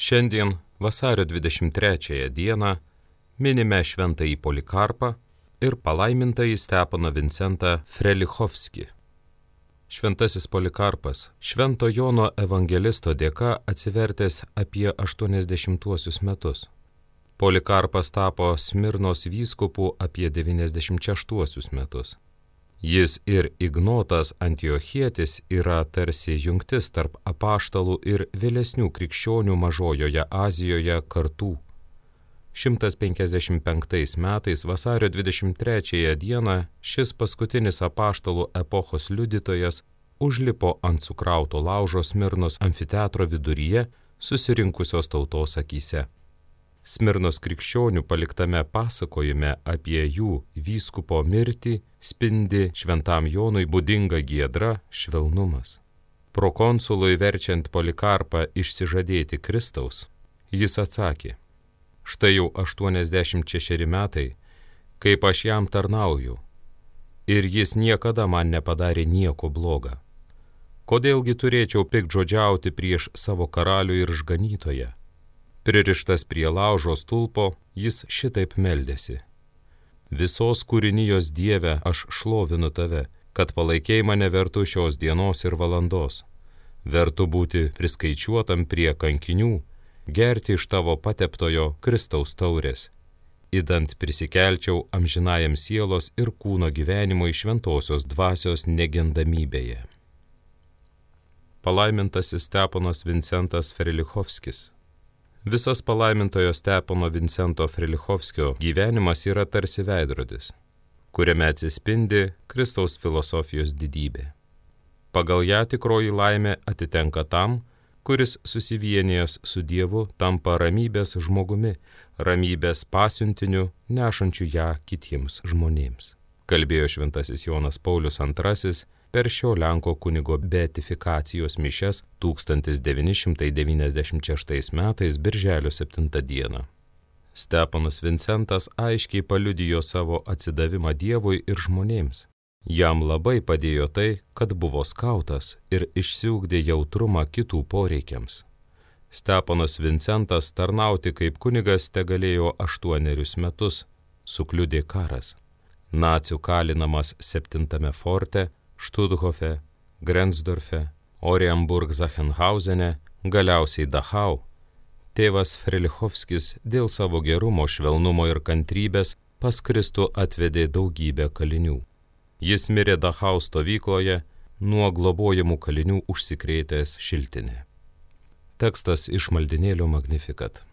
Šiandien, vasario 23 dieną, minime šventąjį Polikarpą ir palaimintąjį Steponą Vincentą Frelichovskį. Šventasis Polikarpas Švento Jono evangelisto dėka atsivertęs apie 80 metus. Polikarpas tapo Smirnos vyskupu apie 96 metus. Jis ir Ignotas Antiochietis yra tarsi jungtis tarp apaštalų ir vėlesnių krikščionių Mažojoje Azijoje kartų. 155 metais vasario 23 dieną šis paskutinis apaštalų epochos liudytojas užlipo ant sukrauto laužo Smirnos amfiteatro viduryje susirinkusios tautos akyse. Smirnos krikščionių paliktame pasakojime apie jų vyskupo mirtį spindi šventam Jonui būdinga giedra švelnumas. Prokonsului verčiant Polikarpą išsižadėti Kristaus, jis atsakė: štai jau 86 metai, kaip aš jam tarnauju, ir jis niekada man nepadarė nieko bloga. Kodėlgi turėčiau piktžodžiauti prieš savo karalių ir išganytoją? Pririštas prie laužo stulpo, jis šitaip meldėsi: visos kūrinijos Dieve aš šlovinu tave, kad palaikei mane vertu šios dienos ir valandos, vertu būti priskaičiuotam prie kankinių, gerti iš tavo pateptojo Kristaus taurės, idant prisikelčiau amžinajam sielos ir kūno gyvenimo iš šventosios dvasios negendamybėje. Palaimintasis Steponas Vincentas Frelichovskis. Visas palaimintojo Stepono Vincento Frelichovskio gyvenimas yra tarsi veidrodis, kuriame atsispindi Kristaus filosofijos didybė. Pagal ją tikroji laimė atitenka tam, kuris susivienijęs su Dievu tampa ramybės žmogumi, ramybės pasiuntiniu, nešančiu ją kitiems žmonėms. Kalbėjo šventasis Jonas Paulius II per šio Lenko kunigo beatifikacijos mišias 1996 metais birželio 7 dieną. Steponas Vincentas aiškiai paliudijo savo atsidavimą Dievui ir žmonėms. Jam labai padėjo tai, kad buvo skautas ir išsiugdė jautrumą kitų poreikiams. Steponas Vincentas tarnauti kaip kunigas tegalėjo 8 metus, sukliudė karas. Nacių kalinamas 7 forte, Štuthofe, Grenzdorfe, Orienburg-Sachenhauzene, galiausiai Dachau, tėvas Frelichovskis dėl savo gerumo, švelnumo ir kantrybės pas Kristų atvedė daugybę kalinių. Jis mirė Dachau stovykloje, nuo globojamų kalinių užsikrėtęs šiltinė. Tekstas iš maldinėlio Magnificat.